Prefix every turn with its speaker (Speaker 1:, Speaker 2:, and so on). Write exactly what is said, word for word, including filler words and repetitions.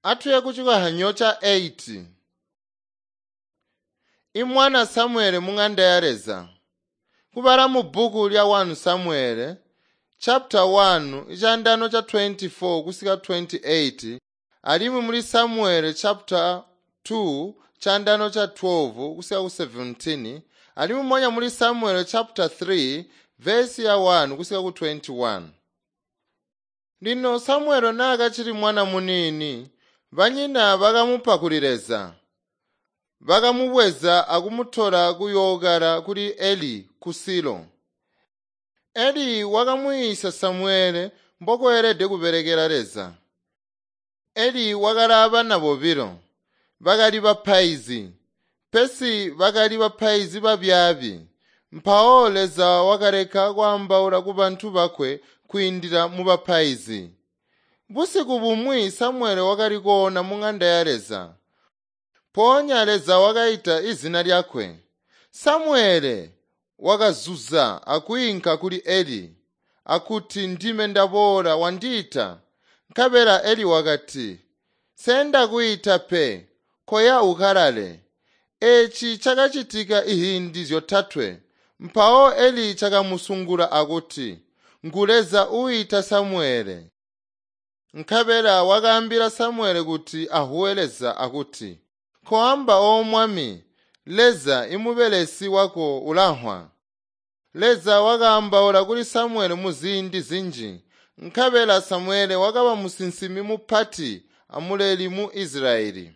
Speaker 1: Atuye kucikohanyo ca eight. Imwana Samuele mung'anda ya Leza. Kubala mu bbuku lya one Samuele chapter one icandano ca twenty-four kusika twenty-eight alimwi muli Samuele chapter two chandano cha twelve kusika ku seventeen alimwi monya muli Samuele chapter three verse ya one kusika ku twenty-one. Lino Samuele naakacili mwana muniini, banyina bakamupa kuli Leza. Bakamubweza akumutola kuyookala kuli Eli ku Silo. Eli wakamwiisya Samuele mbokweelede kubelekela Leza. Eli wakali abana bobilo, bakali bapaizi, pesi bakali bapaizi babyaabi. Mpawo Leza wakaleka kwaambaula kubantu bakwe kwiindila mubapaizi. Busiku bumwi Samuele wakali koona mung'anda ya Leza. Mpoonya Leza wakaita izina lyakwe. Samuele wakazuza akwiinka kuli Eli, akuti ndime ndaboola wandiita. Nkabela Eli wakati, Sendakwiita pe, koya ukalale. Eeci cakacitika ihindi zyotatwe. Mpawo Eli cakamusungula akuti, Ngu Leza uita Samuele. Nkabela wakaambila Samuele kuti ahuwe Leza akuti, Koamba o Mwami, Leza imubelesi wako ulanhwa. Leza wakaambaula kuli Samuele muziindi zinji. Nkabela Samuele wakaba musinsimi mupati amuleli mu Isilayeli.